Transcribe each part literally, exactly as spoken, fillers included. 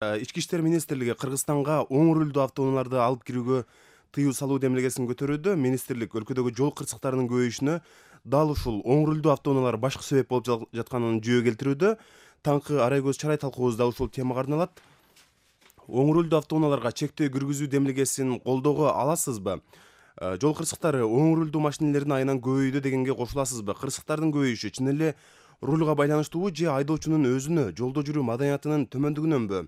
Ички иштер министрлиги Кыргызстанга оң рулдуу автоунааларды алып кирүүгө тыюу салуу демилгесин көтөрүүдө. Министрлик өлкөдөгү жол кырсыктарынын көбөйүшүнө дал ушул оң рулдуу автоунаалар башкы себеп болуп жатканын жүйө келтирүүдө. Таңкы арай көз чарай талкуубузда ушул темага арналат. Оң рулдуу автоунааларга чектөө киргизүү демилгесин колдоого аласызбы? Жол кырсыктары оң рулдуу машинелердин айынан көбөйдү дегенге кошуласызбы? Кырсыктардын көбөйүшү чын эле рулга байланыштуубу же айдоочунун өзүнө, жолдо жүрүү маданиятынын төмөндүгүнөнбү?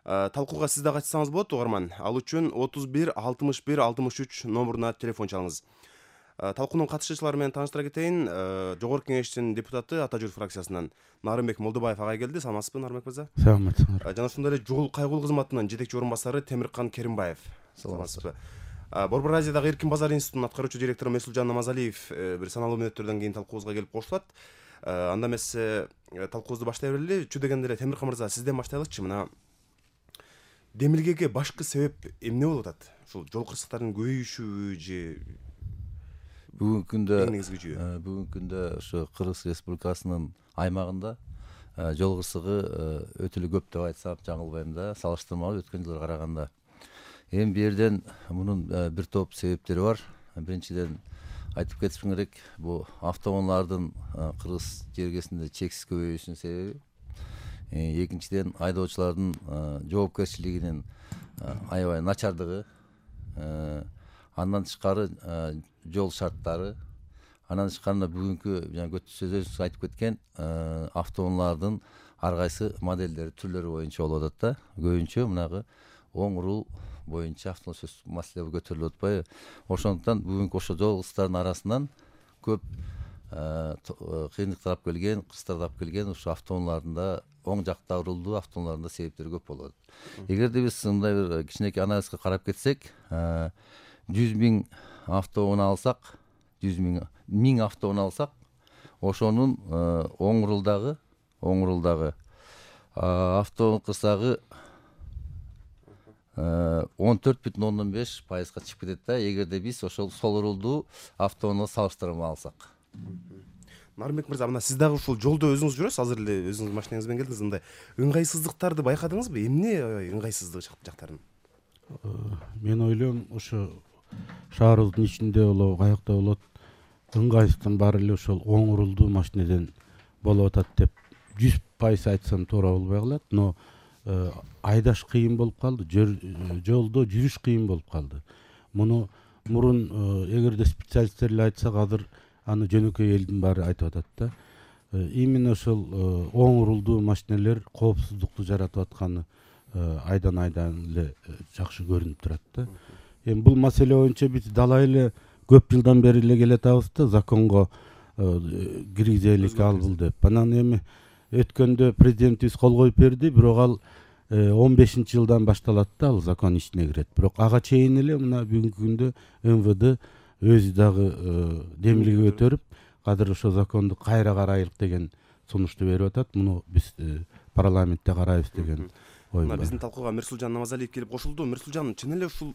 Талкууга сиз да катышсаңыз болот угарман. Ал үчүн отуз бир алтымыш бир алтымыш үч номуруна телефон чалыңыз. Талкуунун катышуучулары менен тааныштыра кетейин. Жогорку Кеңештин депутаты Ата Жүр фракциясынан Нарымбек Молдобаев агай келди. Саламатсызбы, Нарымбек мырза? Саламатсыздар. Жана ошондой эле жол кайгылуу кызматынын жетекчи орун басары Темиркан Керимбаев. Саламатсызбы. Борбор Азиядагы Эркин базар институтунун аткаруучу директору Месулжан Намазалиев бир саналуу мүнөттөрдөн кийин талкуубузга келип кошулат. Анда эмесе талкуубузду баштай берели. Чү дегенде эле Темиркан мырза, сизден баштайлычы. Мына демилгеге башкы себеп эмне болуп атат? Ушул жол кырсыктарынын көбөйүшүбү же Бүгүнкү күндө негизги жүйө? бүгүнкү күндө ошо Кыргыз Республикасынын аймагында жол кырсыгы өтө эле көп деп айтсам жаңылбайм да, салыштырмалуу өткөн жылга караганда. Эми бул жерден мунун бир топ себептери бар. Биринчиден айтып кетишим керек, бул автоунаалардын Кыргыз жергесинде чексиз көбөйүшүнүн себеби. Экинчиден айдоочулардын жоопкерчилигинин аябай начардыгы. Андан тышкары жол шарттары. Андан тышкары бүгүнкү жана сөзүңүз айтып кеткен автоунаалардын ар кайсы моделдери, түрлөрү боюнча болуп атат да. Көбүнчө мынагы оң рул боюнча автоунаа маселе көтөрүлүп атпайбы? Ошондуктан бүгүнкү ошо жол кырсыктарынын арасынан көп кыйындык тарап келген, кырсыктар тарап келген ушу автоунаалардын оң жакта рулдуу автоунаалардын себептери көп болот. Эгерде биз мындай бир кичинекей анализге карап кетсек, жүз миң автоунаа алсак, жүз миң миң автоунаа алсак, ошонун оң рулдагы, оң рулдагы автоунаа кырсыгы он төрт бүтүн ондон беш пайызга чыгып кетет да, эгерде биз ошол сол рулдуу автоунаа салыштырма алсак. Нарымбек мырза, мына сиз дагы ушул жолдо өзүңүз жүрөсүз, азыр эле өзүңүз машинаңыз менен келдиңиз. Мындай ыңгайсыздыктарды байкадыңызбы? Эмне ыңгайсыздык жактарын? Мен ойлойм, ошо шаарыбыздын ичинде болобу, каякта болот, ыңгайсыздыктын баары эле ошол оң рулдуу машинеден болуп атат деп жүз пайыз айтсам туура болбой калат, но айдаш кыйын болуп калды, жолдо жүрүш кыйын болуп калды. Муну мурун эгерде специалисттер эле айтсак, азыр аны жөнөкөй элдин баары айтып атат да. Именно ошол оң рулдуу машинелер коопсуздукту жаратып атканы айдан айдан эле жакшы көрүнүп турат да. Эми бул маселе боюнча биз далай эле көп жылдан бери эле келатабыз да, законго киргизелик ал бул деп. Анан эми өткөндө президентибиз кол коюп берди, бирок ал он бешинчи жылдан башталат да, ал закон ичине кирет. Бирок ага чейин эле мына бүгүнкү күндө эм вэ дэ өзү дагы демилге көтөрүп, азыр ошо законду кайра карайлык деген сунушту берип атат. Муну биз парламентте карайбыз деген ой бар. Биздин талкууга Мирсулжан Намазалиев келип кошулду. Мирсулжан, чын эле ушул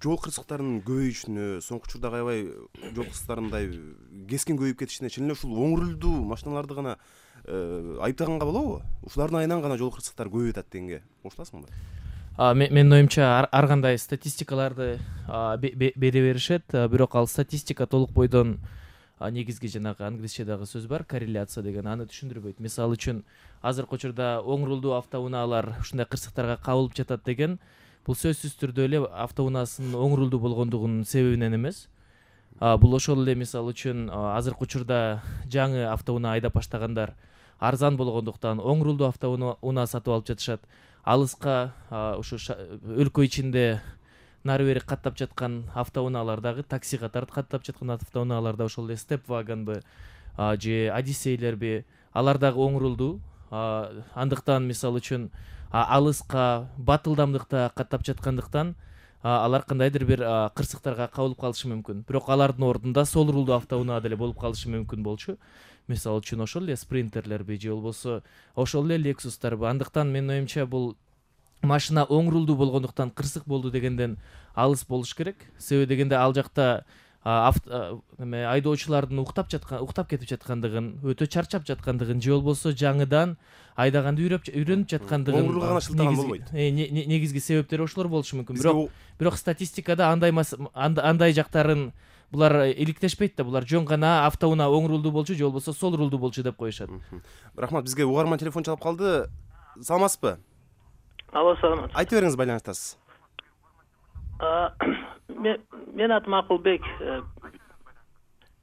жол кырсыктарынын көбөйүшүнө, соңку учурда аябай жол кырсыктарындай кескин көбөйүп кетишине чын эле ушул оң рулдуу машиналарды гана айыптаганга болобу? Ушулардын айынан гана жол кырсыктары көбөйүп атат дегенге кошуласыңбы? Менин оюмча ар кандай статистикаларды бере беришет, бирок ал статистика толук бойдон негизги жанагы англисчедагы сөз бар, корреляция деген, аны түшүндүрбөйт. Мисалы үчүн азыркы учурда оң рулдуу автоунаалар ушундай кырсыктарга кабылып жатат деген, бул сөзсүз түрдө эле автоунаасынын оң рулдуу болгондугунун себебинен эмес. Бул ошол эле мисалы үчүн азыркы учурда жаңы автоунаа айдап баштагандар арзан болгондуктан оң рулдуу автоунаа сатып алып жатышат. Алыска ушу өлкө ичинде нары бери каттап жаткан автоунаалардагы, такси катары каттап жаткан автоунааларда ошол эле степ вагонбу же одиссейлерби, алар дагы оң рулдуу. Андыктан мисалы үчүн алыска батылдамдыкта каттап жаткандыктан алар кандайдыр бир кырсыктарга кабылып калышы мүмкүн. Бирок алардын ордунда сол рулдуу автоунаа деле болуп калышы мүмкүн болчу. Мисалы үчүн ошол эле спринтерлерби же болбосо ошол эле лексустарбы. Андыктан менин оюмча бул машина оң рулдуу болгондуктан кырсык болду дегенден алыс болуш керек. Себеби дегенде ал жакта эме айдоочулардын уктап жаткан уктап кетип жаткандыгын, өтө чарчап жаткандыгын же болбосо жаңыдан айдаганды үйрөнүп жаткандыгын оңрулга гана шылтаган болбойт. Негизги себептери ошолор болушу мүмкүн. Бирок бирок статистикада андай андай жактарын булар иликтешпейт да. Булар жөн гана автоунаа оң рулдуу болчу же болбосо сол рулдуу болчу деп коюшат. Рахмат, бизге угарман телефон чалып калды. Саламатсызбы? Алло, саламат. Айтып бериңиз, байланыштасыз. Мен атым Акылбек.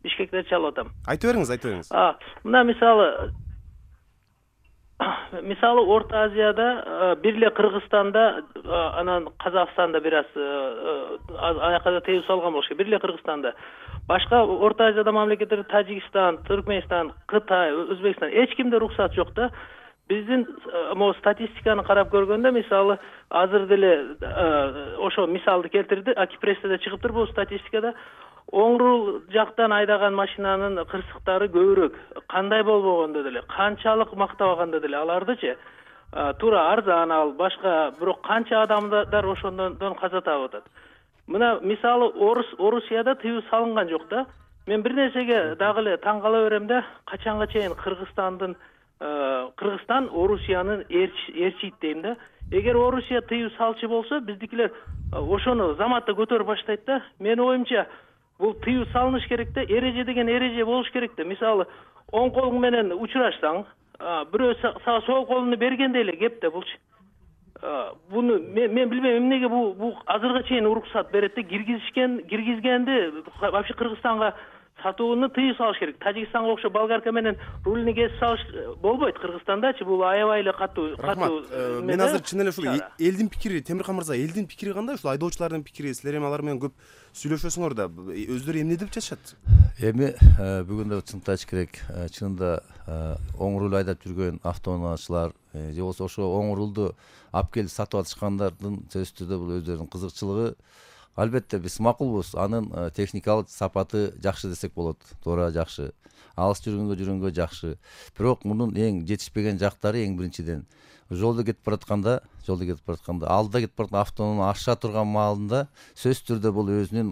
Бишкектен чалып атам. Айтып бериңиз, айтып бериңиз. Мына мисалы мисалы Орто Азияда, бир эле Кыргызстанда, анан Казакстанда бир аз аякка тыюу салган болуш керек. Бир эле Кыргызстанда. Башка Орто Азияда мамлекеттер Тажикстан, Түркмөнстан, Кытай, Өзбекстан эч кимде руксат жок да. Биздин могу статистиканы карап көргөндө, мисалы азыр деле ошо мисалды келтирди, Акипрессте чыгыптыр бул статистикада. Оң рул жактан айдаган машинанын кырсыктары көбүрөөк. Кандай болбогондо деле, канчалык мактабаганда деле алардычы туура арзан ал, башка бирок канча адамдар ошондон каза таап атат. Мына мисалы Орусияда тыюу салынган жок да. Мен бир нерсеге дагы эле таң кала берем да, качанга чейин Кыргызстандын Кыргызстан Орусиянын ээрчийт дейм да. Эгер Орусия тыюу салчы болсо, биздикилер ошону заматта көтөрүп баштайт да. Менин оюмча, бул тыюу салыныш керек да, эреже деген эреже болуш керек да. Мисалы, оң колуң менен учурашсаң, бирөө сага сол колуну бергендей эле кеп да булчу. Буну мен билбейм эмнеге бул бул азырга чейин уруксат берет да, киргизишкен, киргизгенди вообще Кыргызстанга сатууну тыюу салыш керек. Тажикстанга окшоп болгарка менен рулни кесип салыш болбойт Кыргызстандачы, бул аябай эле катуу катуу. Мен азыр чын эле ушул элдин пикири, Темиркан мырза, элдин пикири кандай? Ушул айдоочулардын пикири, силер эми алар менен көп сүйлөшөсүңөр да, өздөрү эмне деп жатышат? Эми бүгүн да чынтып айтыш керек, чынында оң рул айдап жүргөн автоунаачылар же болбосо ошо оң рулду алып келип сатып атышкандардын сөзсүз түрдө бул өздөрүнүн кызыкчылыгы. Албетте биз макулбуз, анын техникалык сапаты жакшы десек болот, туура жакшы. Алыс жүргөнгө жүргөнгө жакшы. Бирок мунун эң жетишпеген жактары эң биринчиден жолдо кетип баратканда, жолдо кетип баратканда, алда кетип бараткан автоунаа аша турган маалында сөзсүз түрдө бул өзүнүн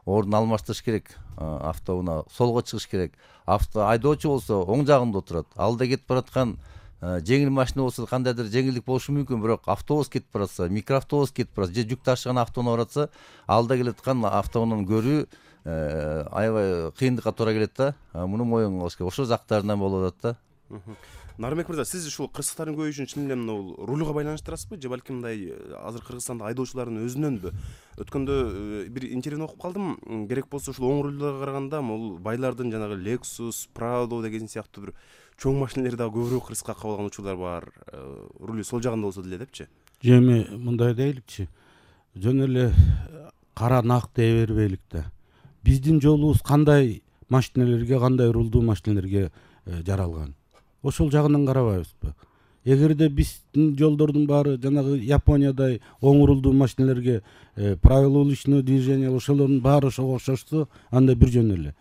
ордун алмаштырыш керек. Автоунаа солго чыгыш керек. Авто айдоочу болсо оң жагында отурат. Алда кетип бараткан жеңил машина болсо кандайдыр жеңилдик болушу мүмкүн, бирок автобус кетип баратса, микроавтобус кетип баратса, же жүк ташыган автоунаа баратса, алда келаткан автоунааны көрүү аябай кыйындыкка туура келет да. Муну моюн кылыш керек. Ошол жактарынан болуп атат да. Нарымбек мырза, сиз ушул кырсыктардын көбөйүшүн чын эле бул рулга байланыштырасызбы, же балким мындай азыр Кыргызстанда айдоочулардын өзүнөнбү? Өткөндө бир интервьюну окуп калдым. Керек болсо ушул оң рулдарга караганда бул байлардын жанагы Lexus, Prado деген сыяктуу бир чоң машинелер дагы көбүрөөк кырсыкка кабылган учурлар бар. Рулю сол жагында болсо деле депчи. Эми мындай дейликчи. Жөн эле кара нак дей бербейлик да. Биздин жолубуз кандай машинелерге, кандай рулдуу машинелерге жаралган? Ошол жагынан карабайбызбы? Эгерде биздин жолдордун баары жанагы Япониядай оң рулдуу машинелерге правила уличного движения ошолордун баары ошого окшошсо, анда бир жөн эле.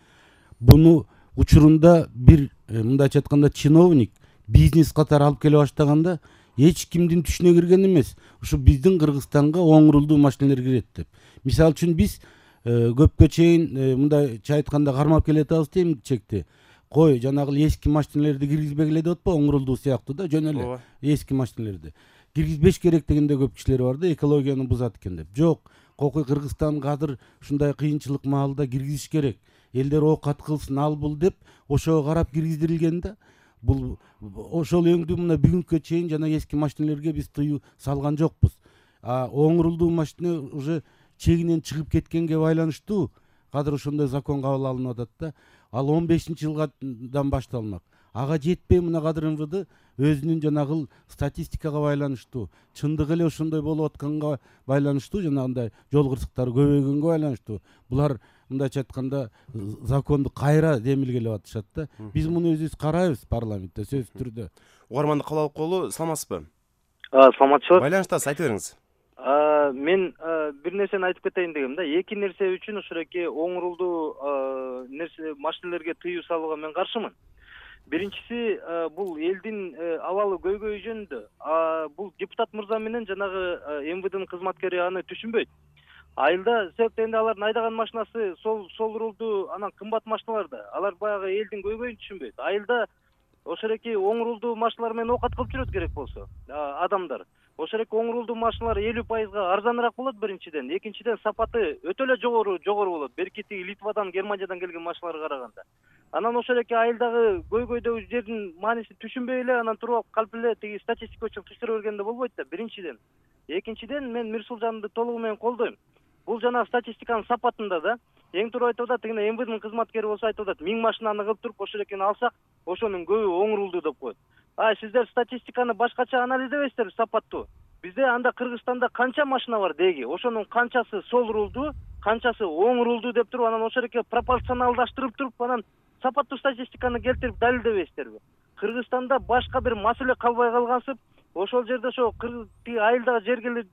Буну учурунда бир мындайча айтканда чиновник бизнес катары алып келе баштаганда эч кимдин түшүнө кирген эмес. Ушу биздин Кыргызстанга оң рулдуу машинелер кирет деп. Мисалы үчүн биз көпкө чейин мындайча айтканда кармап келатабыз дейм чекти. Кой, жанагы эски машинелерди киргизбегиле деп атпа, оң рулдуу сыяктуу да, жөн эле эски машинелерди. Киргизбеш керек дегенде көп кишилер бар да, экологияны бузат экен деп. Жок, кокуй Кыргызстанга азыр ушундай кыйынчылык маалда киргизиш керек. Элдер оокат кылсын, ал бул деп ошого карап киргиздирилген да. Бул ошол өңдүү мына бүгүнкү чейин жана эски машинелерге биз тыюу салган жокпуз. А оң рулдуу машина уже чегинен чыгып кеткенге байланыштуу кадыр ошондой закон кабыл алынып атат да. Ал он бешинчи жылдан башталмак. Ага жетпей мына кадыр эм вэ дэ өзүнүн жанагы статистикага байланыштуу, чындык эле ошондой болуп атканга байланыштуу, жанагындай жол кырсыктары көбөйгөнгө байланыштуу. Булар мындайча айтканда законду кайра демилгелеп атышат да. Биз муну өзүбүз карайбыз парламентте сөзсүз түрдө. Угарманды кабыл алып коелу, саламатсызбы? Саламатчылык. Байланыштасыз, айтып бериңиз. Мен бир нерсени айтып кетейин дегем да. Эки нерсе үчүн ушуреки оң рулдуу нерсе машинелерге тыюу салууга мен каршымын. Биринчиси, бул элдин абалы көйгөйү жөнүндө. Бул депутат мырза менен жанагы эм вэ дэнин кызматкери аны түшүнбөйт. Айылда себеп дегенде алардын айдаган машинасы сол сол рулду анан кымбат машиналар да. Алар баягы элдин көйгөйүн түшүнбөйт. Айылда ошол эки оң рулдуу машиналар менен оокат кылып жүрөт керек болсо адамдар. Ошол эки оң рулдуу машиналар элүү пайызга арзаныраак болот биринчиден. Экинчиден сапаты өтө эле жогору жогору болот. Берки тиги Литвадан, Германиядан келген машиналарга караганда. Анан ошол эки айылдагы көйгөйдөгү жердин маанисин түшүнбөй эле анан туруп алып калп эле тиги статистика үчүн кычкырып бергенде болбойт да биринчиден. Экинчиден мен Мирсулжанды толугу менен колдойм. Бул жана статистиканын сапатында да эң туура айтып атат, тигине эм вэ дин кызматкери болсо айтып атат, миң машинаны кылып туруп ошол экени алсак, ошонун көбү оң рулдуу деп коет. А сиздер статистиканы башкача анализдебейсиздерби сапаттуу? Бизде анда Кыргызстанда канча машина бар деги? Ошонун канчасы сол рулдуу, канчасы оң рулдуу деп туруп, анан ошол эки пропорционалдаштырып туруп, анан сапаттуу статистиканы келтирип далилдебейсиздерби? Кыргызстанда башка бир маселе калбай калгансып, ошол жерде ошо тиги айылдагы жергиликтүү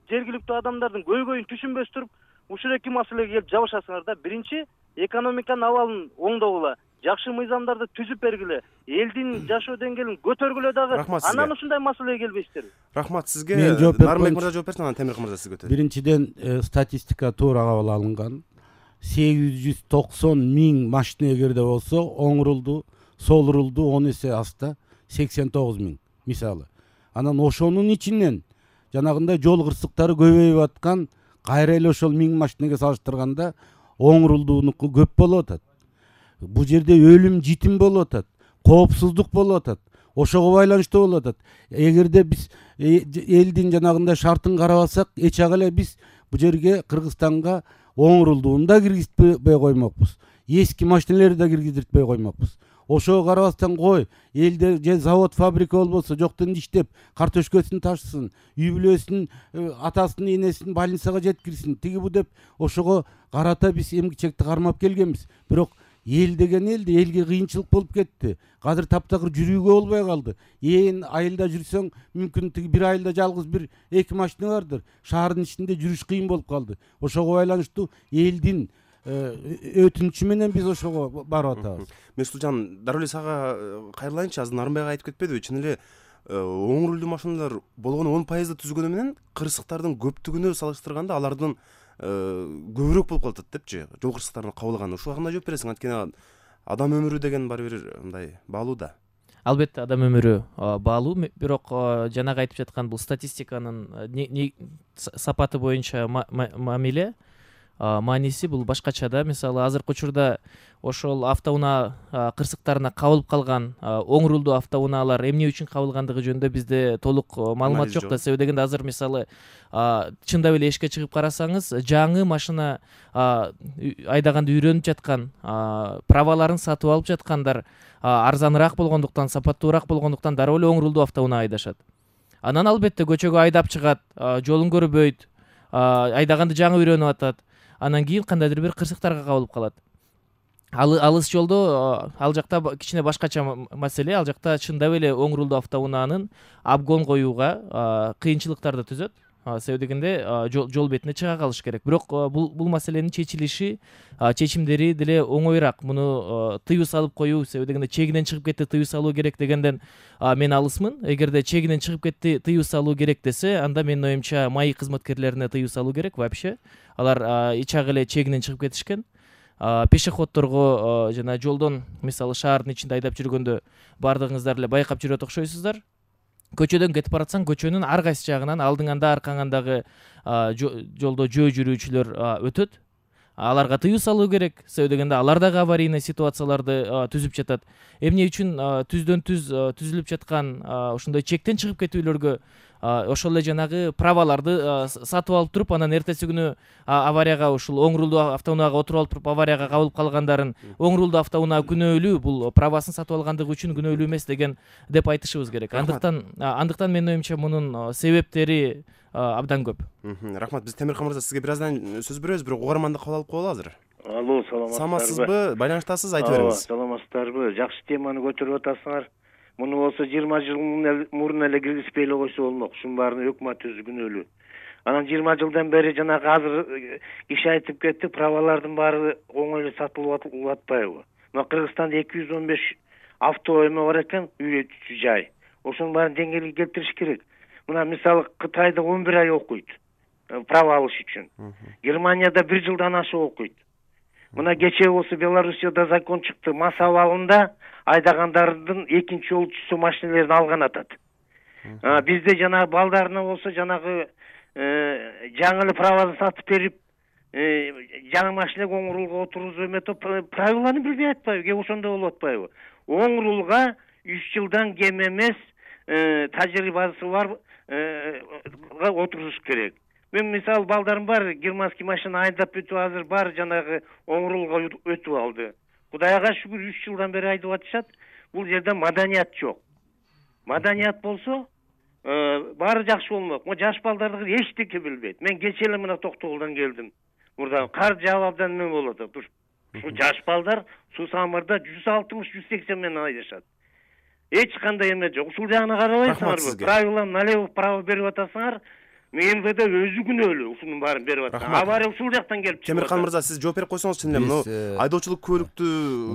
жергиликтүү адамдардын көйгөйүн түшүнбөс туруп, ушул эки маселеге келип жабышасыңар да. Биринчи, экономиканын абалын оңдогула, жакшы мыйзамдарды түзүп бергиле, элдин жашоо деңгээлин көтөргүлө дагы. Анан ушундай маселеге келбейсиздерби? Рахмат сизге. Мен жооп берип Нарымбек коеюнчу. мырза жооп берсин, анан Темиркан мырза сизге өтөт. Биринчиден статистика туура кабыл алынган. сегиз жүз токсон миң машина эгерде болсо, оң рулдуу, сол рулдуу он эсе аста сексен тогуз миң мисалы. Анан ошонун ичинен жанагындай жол кырсыктары көбөйүп аткан, кайра эле ошол миң машинеге салыштырганда оң рулдуунуку көп болуп атат. Бул жерде өлүм житим болуп атат, коопсуздук болуп атат. Ошого байланыштуу болуп атат. Эгерде биз элдин жанагындай шартын карабасак, эч ак эле биз бул жерге Кыргызстанга оң рулдууну да киргизбей коймокпуз. Эски машинелерди да киргизбей коймокпуз. Ошого карабастан кой, элде же завод, фабрика болбосо жоктон иштеп, картошкасын ташысын, үй бүлөсүн, атасын, энесин больницага жеткирсин, тиги бу деп ошого карата биз эмгичекти кармап келгенбиз. Бирок эл деген элди, элге кыйынчылык болуп кетти. Азыр таптакыр жүрүүгө болбой калды. Ээн айылда жүрсөң, мүмкүн тиги бир айылда жалгыз бир эки машина бардыр. Шаардын ичинде жүрүш кыйын болуп калды. Ошого байланыштуу элдин өтүнүчү менен биз ошого барып атабыз. Мирсулжан, дароо эле сага кайрылайынчы. Азыр Нарымбек айтып кетпедиби? Чын эле оң рулдуу машиналар болгону он пайызды түзгөнү менен кырсыктардын көптүгүнө салыштырганда алардын көбүрөөк болуп калат депчи, жол кырсыктарын кабылганы. Ушуга кандай жооп бересиң? Анткени адам өмүрү деген баары бир мындай баалуу да. Албетте адам өмүрү баалуу, бирок жанагы айтып жаткан бул статистиканын сапаты боюнча мамиле мааниси бул башкача да. Мисалы азыркы учурда ошол автоунаа кырсыктарына кабылып калган оң рулдуу автоунаалар эмне үчүн кабылгандыгы жөнүндө бизде толук маалымат жок да. Себеби дегенде азыр мисалы чындап эле эшикке чыгып карасаңыз, жаңы машина айдаганды үйрөнүп жаткан, праваларын сатып алып жаткандар арзаныраак болгондуктан, сапаттуураак болгондуктан дароо эле оң рулдуу автоунаа айдашат. Анан албетте көчөгө айдап чыгат, жолун көрбөйт, айдаганды жаңы үйрөнүп атат. Анан кийин кандайдыр бир кырсыктарга кабылып калат. Алыс жолдо ал жакта кичине башкача маселе. Ал жакта чындап эле оң рулдуу автоунаанын обгон коюуга кыйынчылыктарды түзөт. Себеби дегенде жол бетине чыга калыш керек. Бирок бул бул маселенин чечилиши, чечимдери деле оңоюраак. Муну тыюу салып коюу, себеби дегенде чегинен чыгып кетти, тыюу салуу керек дегенден мен алысмын. Эгерде чегинен чыгып кетти, тыюу салуу керек десе, анда менин оюмча маи кызматкерлерине тыюу салуу керек вообще. Алар эч ак эле чегинен чыгып кетишкен. Пешеходторго жана жолдон, мисалы шаардын ичинде айдап жүргөндө бардыгыңыздар эле байкап жүрөт окшойсуздар. Көчөдөн кетип баратсаң, көчөнүн ар кайсы жагынан алдыңанда, аркаңандагы жолдо жөө жүрүүчүлөр өтөт. Аларга тыюу салуу керек. Себеби дегенде алар дагы аварийный ситуацияларды түзүп жатат. Эмне үчүн түздөн түз түзүлүп жаткан ошондой чектен чыгып кетүүлөргө ошол эле жанагы праваларды сатып алып туруп, анан эртеси күнү аварияга, ушул оң рулдуу автоунаага отуруп алып туруп аварияга кабылып калгандарын оң рулдуу автоунаа күнөөлүү, бул правасын сатып алгандыгы үчүн күнөөлүү эмес деген деп айтышыбыз керек. Андыктан андыктан менин оюмча мунун себептери абдан көп. Рахмат. Биз Темиркан мырза сизге бир аздан сөз беребиз, бирок угарманды кабыл алып коелу азыр. Алло, саламатсызбы? Саламатсызбы? Байланыштасыз, айтып бериңиз. Саламатсыздарбы? Жакшы теманы көтөрүп атасыңар. Муну болсо жыйырма жыл мурун эле киргизбей эле койсо болмок. Ушунун баарын өкмөт өзү күнөөлүү. Анан жыйырма жылдан бери жанагы азыр киши айтып кетти, правалардын баары оңой эле сатылып атпайбы? Мына Кыргызстанда эки жүз он беш авто эме бар экен, үйрөтүүчү жай. Ошонун баарын деңгээлге келтириш керек. Мына мисалы Кытайда он бир ай окуйт. право алыш үчүн. Германияда бир жылдан ашык окуйт. Мына кечээ болсо Белоруссияда закон чыкты, мас абалында айдагандардын экинчи жолчусу машиналерин алган атат. Бизде жанагы балдарына болсо жанагы жаңы эле правосын сатып берип, жаңы машинеге оң рулга отургузуп эметип правиланы билбей атпайбы, кээ ошондой болуп атпайбы? Оң рулга үч жылдан кем эмес тажрыйбасы бар отуруш керек. Мен мисалы балдарым бар, германский машина айдап өтүп азыр бар жанагы оң рулга өтүп алды. Кудайга шүгүр үч жылдан бери айдап атышат. Бул жерде маданият жок. Маданият болсо баары жакшы болмок. Мо жаш балдарды эчтеке билбейт. Мен кечээ эле мына Токтогулдан келдим. Мурда кар жаап абдан эме болот. Ушул жаш балдар суу самырда жүз алтымыш жүз сексен менен айдашат. Эч кандай эме жок. Ушул жагына карабайсыңарбы? Правила налево право берип атасыңар. Мен МВД өзү күнөөлүү ушунун баарын берип атат. Авария ушул жактан келип чыгат. Темиркан мырза, сиз жооп берип койсоңуз чын эле мына айдоочулук көлүктү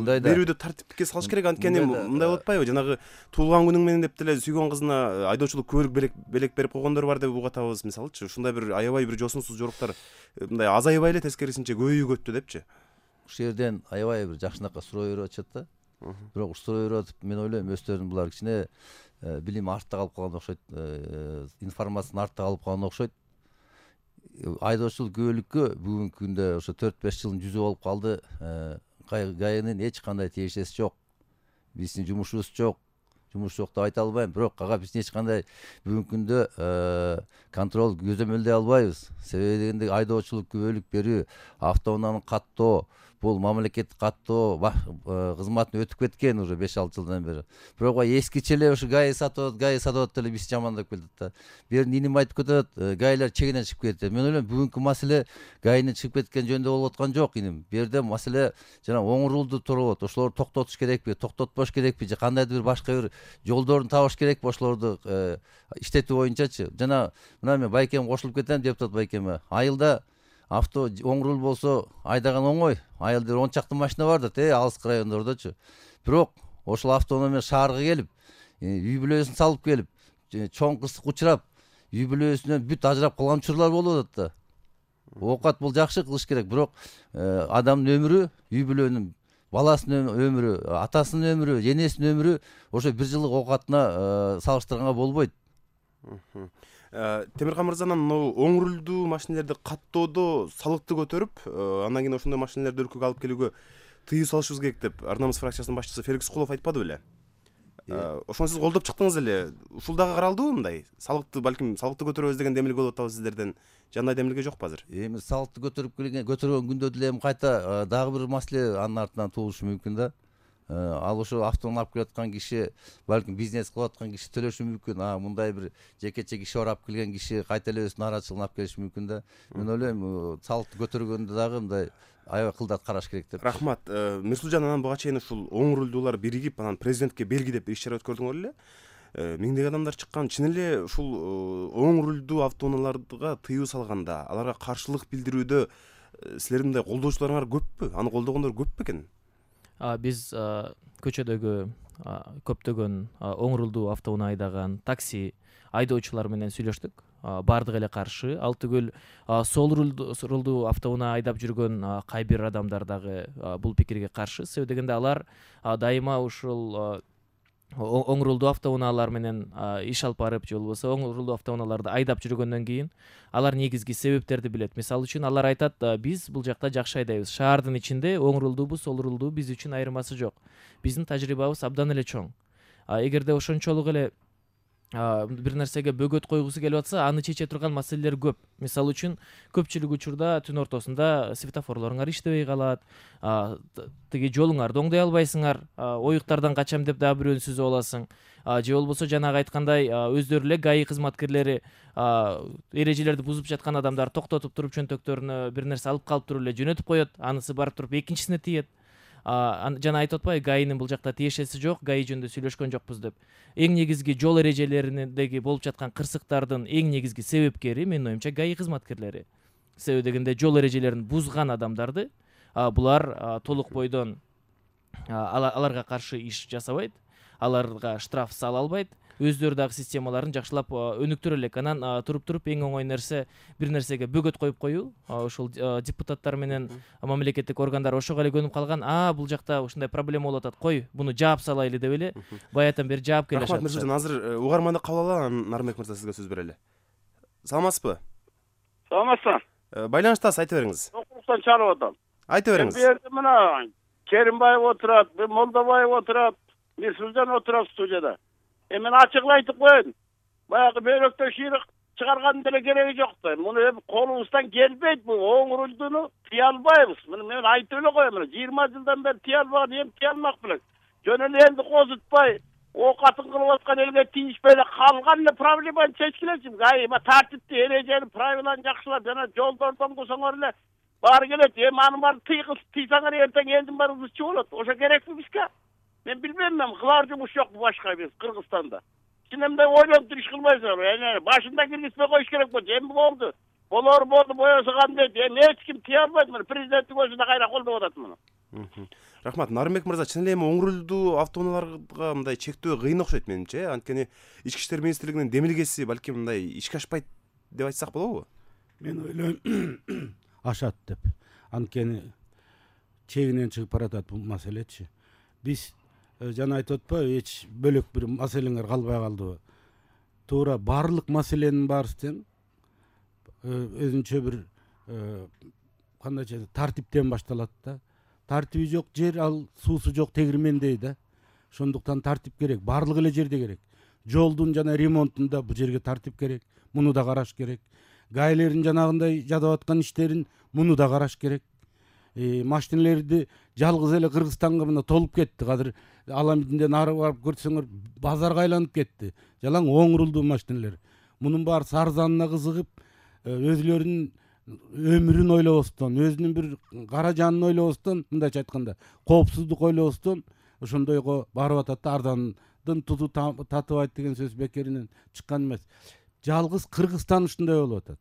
берүүдө тартипке салыш керек. Анткени мындай болуп атпайбы? Жанагы туулган күнүң менен деп деле сүйгөн кызына айдоочулук көлүк белек берип койгондор бар деп угатабыз мисалычы. Ушундай бир аябай бир жосунсуз жоруктар мындай азайбай эле тескерисинче көбөйүп депчи. Ушул жерден аябай бир жакшынакка суроо берип атышат да. Бирок ушул суроо берип атып, мен ойлойм өздөрүн булар кичине билим артта калып калган окшойт, информация артта калып калган окшойт. Айдоочулук күбөлүккө бүгүнкү күндө ошо төрт беш жылдын жүзү болуп калды. ГАИнин эч кандай тиешеси жок. Биздин жумушубуз жок. Жумуш жок деп айта албайм, бирок ага биз эч кандай бүгүнкү күндө контроль көзөмөлдөй албайбыз. Себеби дегенде айдоочулук күбөлүк берүү, автоунааны каттоо, бул мамлекеттик каттоо кызматын өтүп кеткен уже беш алты жылдан бери. Бирок эскиче эле ушу ГАИ сатып, ГАИ сатып деле биз жамандап келдик да. Берин иним айтып кетет, ГАИлер чегинен чыгып кетти. Мен ойлойм бүгүнкү маселе ГАИнин чыгып кеткен жөнүндө болуп аткан жок иним. Бу жерде маселе жана оң рулду туруп, ошолорду токтотуш керекпи, токтотпош керекпи же кандайдыр бир башка бир жолдорун табыш керекпи ошолорду иштетүү боюнчачы. Жана мына мен Байкем кошулуп кетем, депутат Байкеме. Айылда авто оң рул болсо айдаган оңой. Айылда он чакты машина бар да, те алыскы райондордочу. Бирок ошол автоунаа менен шаарга келип, үй бүлөсүн салып келип, чоң кырсык учурап, үй бүлөсүнөн бүт ажырап калган учурлар болуп атат да. Оокат бул жакшы кылыш керек, бирок адамдын өмүрү, үй бүлөнүн баласынын өмүрү, атасынын өмүрү, энесинин өмүрү ошо бир жылдык оокатына салыштырганга болбойт. Темиркан мырзанан мына оң рулдуу машинелерди каттоодо салыкты көтөрүп, андан кийин ошондой машинелерди өлкөгө алып келүүгө тыюу салышыбыз керек деп Ар намыс фракциясынын башчысы Феликс Кулов айтпады беле? Ошону сиз колдоп чыктыңыз эле. Ушул дагы каралдыбы мындай? Салыкты балким салыкты көтөрөбүз деген демилге болуп атабы сиздерден. Жандай демилге жокпу азыр? Эми салыкты көтөрүп келген, көтөргөн күндө деле эми кайта дагы бир маселе анын артынан туулушу мүмкүн да. Ал ошо автоунаа алып келаткан киши, балким бизнес кылып аткан киши төлөшү мүмкүн. А мындай бир жекече киши барап келген киши кайта эле өзүнүн нараатчылыгын алып келиши мүмкүн да. Мен ойлойм, салыкты көтөргөндө дагы мындай аябай кылдат караш керек деп. Рахмат. Мирсулжан, анан буга чейин ушул оң рулдуулар биригип, анан президентке белгилеп иш чара өткөрдүңөр эле. Миңдеген адамдар чыккан. Чын эле ушул оң рулдуу автоунааларга тыюу салганда, аларга каршылык билдирүүдө силердин мындай колдоочуларыңар көппү? Аны колдогондор көппү экен? Биз көчөдөгү көптөгөн оң рулдуу автоунаа айдаган такси айдоочулар менен сүйлөштүк. Бардыгы эле каршы. Ал түгүл сол рулдуу автоунаа айдап жүргөн кай бир адамдар дагы бул пикирге каршы. Себеби дегенде алар дайыма ушул оң рулдуу автоунаалар менен иш алып барып, же болбосо оң рулдуу автоунааларды айдап жүргөндөн кийин алар негизги себептерди билет. Мисалы үчүн алар айтат, биз бул жакта жакшы айдайбыз. Шаардын ичинде оң рулдуубу, сол рулдуу биз үчүн айырмасы жок. Биздин тажрыйбабыз абдан эле чоң. Эгерде ошончолук эле бир нерсеге бөгөт койгусу келип атса, аны чече турган маселелер көп. Мисалы үчүн көпчүлүк учурда түн ортосунда светофорлоруңар иштебей калат, тиги жолуңарды оңдой албайсыңар, оюктардан качам деп дагы бирөөнү сүзүп аласың. Же болбосо жанагы айткандай өздөрү эле ГАИ кызматкерлери эрежелерди бузуп жаткан адамдар токтотуп туруп чөнтөктөрүнө бир нерсе алып калып туруп эле жөнөтүп коет, анысы барып туруп экинчисине тиет. Жана айтып атпайбы, ГАИнин бул жакта тиешеси жок, ГАИ жөнүндө сүйлөшкөн жокпуз деп. Эң негизги жол эрежелериндеги болуп жаткан кырсыктардын эң негизги себепкери менин оюмча ГАИ кызматкерлери. Себеби дегенде жол эрежелерин бузган адамдарды булар толук бойдон аларга каршы иш жасабайт, аларга штраф сала албайт. өздөрү дагы системаларын жакшылап өнүктүрө элек. Анан туруп туруп эң оңой нерсе бир нерсеге бөгөт коюп коюу. Ошол депутаттар менен мамлекеттик органдар ошого эле көнүп калган. А бул жакта ушундай проблема болуп атат. Кой, буну жаап салайлы деп эле баягыдан бери жаап келишет. Рахмат Миржан, азыр угарманды кабыл алалы, Нарымбек мырза сизге сөз берели. Саламатсызбы? Саламатсың. Байланыштасыз, айта бериңиз. Окуруктан чалып атам. Айта бериңиз. Бу жерде мына Керимбаев отурат, Молдобаев отурат, Мирсулжан отурат студияда. Э мен ачыгын айтып коеюн. Баягы бөйрөктө шыйрык чыгаргандын деле кереги жок да. Муну эми колубуздан келбейт, бул оң рулдуну тыя албайбыз. Муну мен айтып эле коем, мына жыйырма жылдан бери тыя албаган эми тыя алмак белек. Жөн эле энди козутпай, оокатын кылып аткан элге тийишпей эле калган эле проблеманы чечкилечи. Ай, эми тартипти, эрежени, правиланы жакшылап жана жолдордон кылсаңар эле баары келет. Эми аны баары тыйгыз, тыйсаңар эртең элдин баары ызчы болот. Ошо керекпи бизге? Мен билбейм, мен кылар жумуш жок башка биз Кыргызстанда. Сен эмне ойлоп туруш кылбайсыңар? Эне башында киргизбей коюш керек болчу. Эми болду. Болор болду, боесо кандай? Эми эч ким тыя албайт. Мына президенттин өзүнө кайра колдоп атат муну. Рахмат. Нарымбек мырза, чын эле эми оң рулдуу автоунааларга мындай чектөө кыйын окшойт менимче. Анткени Ички иштер министрлигинин демилгеси балким мындай ишке ашпайт деп айтсак болобу? Мен ойлойм ашат деп. Анткени чегинен чыгып баратат бул маселечи. Биз жана айтып атпайбы, эч бөлөк бир маселеңер калбай калдыбы? Туура баардык маселенин баарысынан өзүнчө бир кандайча тартиптен башталат да. Тартиби жок жер, ал суусу жок тегирмендей да. Ошондуктан тартип керек, баардык эле жерде керек. Жолдун жана ремонтунда бул жерге тартип керек, муну да караш керек. Гаилердин жанагындай жадап аткан иштерин муну да караш керек. Машинелерди жалгыз эле Кыргызстанга мына толуп кетти. Азыр Аламидинде нары барып көрсөңөр базарга айланып кетти. Жалаң оң рулдуу машинелер. Мунун баары арзанына кызыгып, өзүлөрүнүн өмүрүн ойлобостон, өзүнүн бир каражанын ойлобостон, мындайча айтканда, коопсуздук ойлобостон ошондойго барып атат да, арзандын тузу татыбайт деген сөз бекеринен чыккан эмес. Жалгыз Кыргызстан ушундай болуп атат.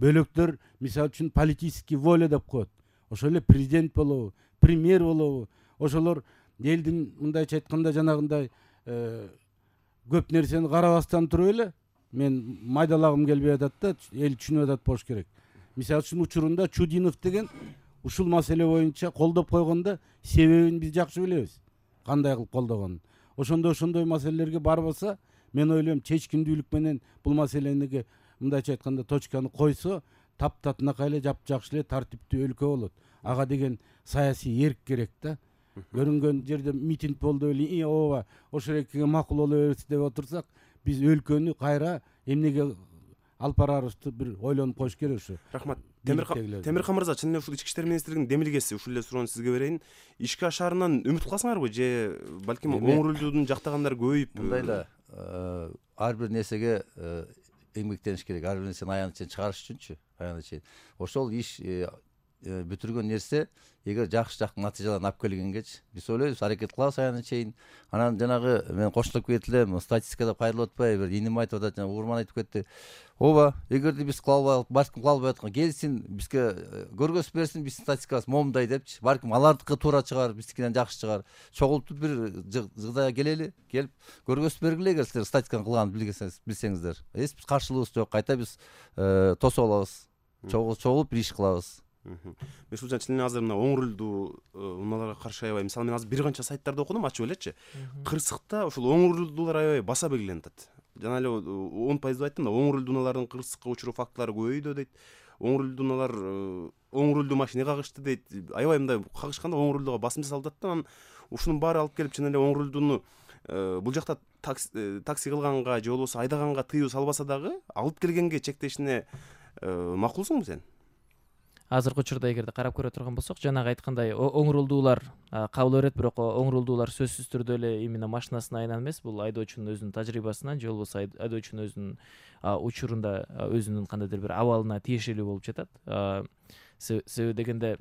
Бөлөктөр мисалы үчүн политический воля деп коет. Ошол эле президент болобу, премьер болобу, ошолор элдин мындайча айтканда жанагындай көп нерсени карабастан туруп эле мен майдалагым келбей атат да, эл түшүнүп атат болуш керек. Мисалы үчүн учурунда Чудинов деген ушул маселе боюнча колдоп койгондо себебин биз жакшы билебиз. Кандай кылып колдогонун. Ошондой ошондой маселелерге барбаса, мен ойлойм чечкиндүүлүк менен бул маселени мындайча айтканда точканы койсо, таптатынакай эле жапжакшы эле тартиптүү өлкө болот. Ага деген саясий эрк керек да. Көрүнгөн жерде митинг болду эле, ооба, ошол экиге макул боло берсин деп отурсак, биз өлкөнү кайра эмнеге алып барарыбызды бир ойлонуп коюш керек ушу. Рахмат. Темирхан мырза, чын эле ушул Ички иштер министрлигинин демилгеси, ушул эле суроону сизге берейин. Ишке ашаарынан үмүт кыласыңарбы же балким оң рулдууну жактагандар көбөйүп? Мындай да, ар бир нерсеге эмгектениш керек. Ар бир нерсени аягына чейин чыгарыш үчүнчү, аягына чейин. Ошол иш бүтүргөн нерсе эгер жакшы жакшы натыйжаларды алып келгенгечи биз ойлойбуз, аракет кылабыз аягына чейин. Анан жанагы мен кошулуп кетип элем, статистикада пайдаланып атпайбы, бир иним айтып атат, жана Урман айтып кетти. Ооба, эгерде биз кыла албай, балким кыла албай аткан келсин, бизге көргөзүп берсин, биздин статистикабыз момундай депчи. Балким алардыкы туура чыгар, биздикинен жакшы чыгар. Чогултуп бир жыгдайга келели, келип көргөзүп бергиле, эгер силер статистиканы кылганын билсеңиздер. Эч биз каршылыгыбыз жок, кайта биз тосуп алабыз. Чогулуп бир иш кылабыз. Мирсулжан, чын эле азыр мына оң рулдуу унааларга каршы аябай, мисалы мен азыр бир канча сайттарда окудум, ачып элечи. Кырсыкта ушул оң рулдуулар аябай баса белгиленип атат. Жана эле он пайыз деп айттым да, оң рулдуу унаалардын кырсыкка учуруу фактылары көбөйдү дейт. Оң рулдуу унаалар оң рулдуу машина кагышты дейт. Аябай мындай кагышканда оң рулдууга басым жасалып атат да, анан ушунун баары алып келип чын эле оң рулдууну бул жакта такси кылганга же болбосо айдаганга тыюу салбаса дагы алып келгенге чектешине макулсуңбу сен? Азыркы учурда эгерде карап көрө турган болсок, жанагы айткандай оң рулдуулар кабыл берет, бирок оң рулдуулар сөзсүз түрдө эле именно машинасына айынан эмес, бул айдоочунун өзүнүн тажрыйбасынан же болбосо айдоочунун өзүнүн учурунда өзүнүн кандайдыр бир абалына тиешелүү болуп жатат. Себеби дегенде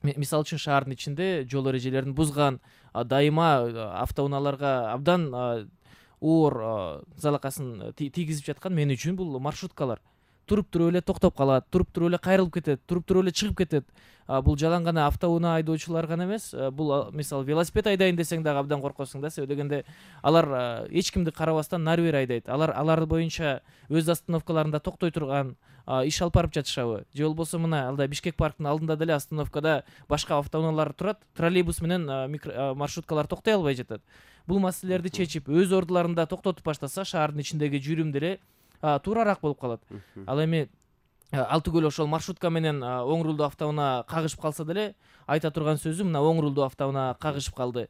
мисалы үчүн шаардын ичинде жол эрежелерин бузган, дайыма автоунааларга абдан оор залакасын тийгизип жаткан мен үчүн бул маршруткалар. туруп туруп эле токтоп калат, туруп туруп эле кайрылып кетет, туруп туруп эле чыгып кетет. Бул жалаң гана автоунаа айдоочулар гана эмес, бул мисалы велосипед айдайын десең дагы абдан коркосуң да, себеби дегенде алар эч кимди карабастан нары бери айдайт. Алар алар боюнча өз остановкаларында токтой турган иш алып барып жатышабы, же болбосо мына алда Бишкек парктын алдында деле остановкада башка автоунаалар турат, троллейбус менен маршруткалар токтой албай жатат. Бул маселелерди чечип, өз ордуларында токтотуп баштаса, шаардын ичиндеги жүрүм деле туурараак болуп калат. Ал эми ал түгөл ошол маршрутка менен оң рулдуу автоунаа кагышып калса деле айта турган сөзү мына оң рулдуу автоунаа кагышып калды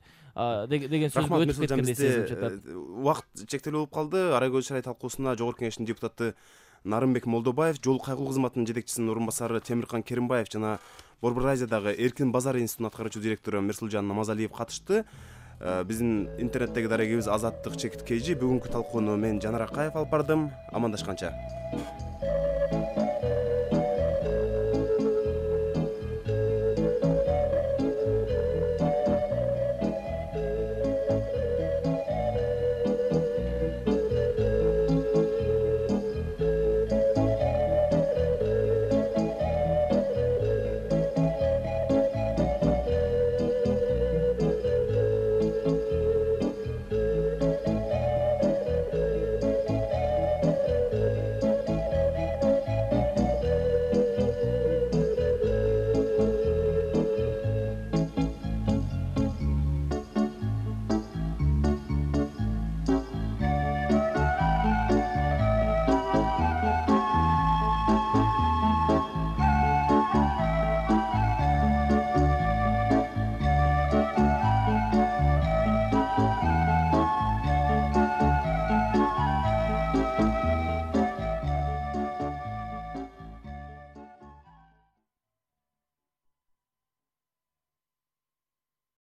деген сөзгө өтүп кеткендей сезилип жатат. Убакыт чектелүү болуп калды. Ара көз шарай талкуусуна Жогорку Кеңештин депутаты Нарымбек Молдобаев, жол кайгылуу кызматынын жетекчисинин орун басары Темиркан Керимбаев жана Борбор Азиядагы Эркин базар институтунун аткаруучу директору Мерсулжан Намазалиев катышты. Биздин интернеттеги дарегибиз Азаттык чекит кей жи. Бүгүнкү талкууну мен Жанар Акаев алып бардым. Амандашканча.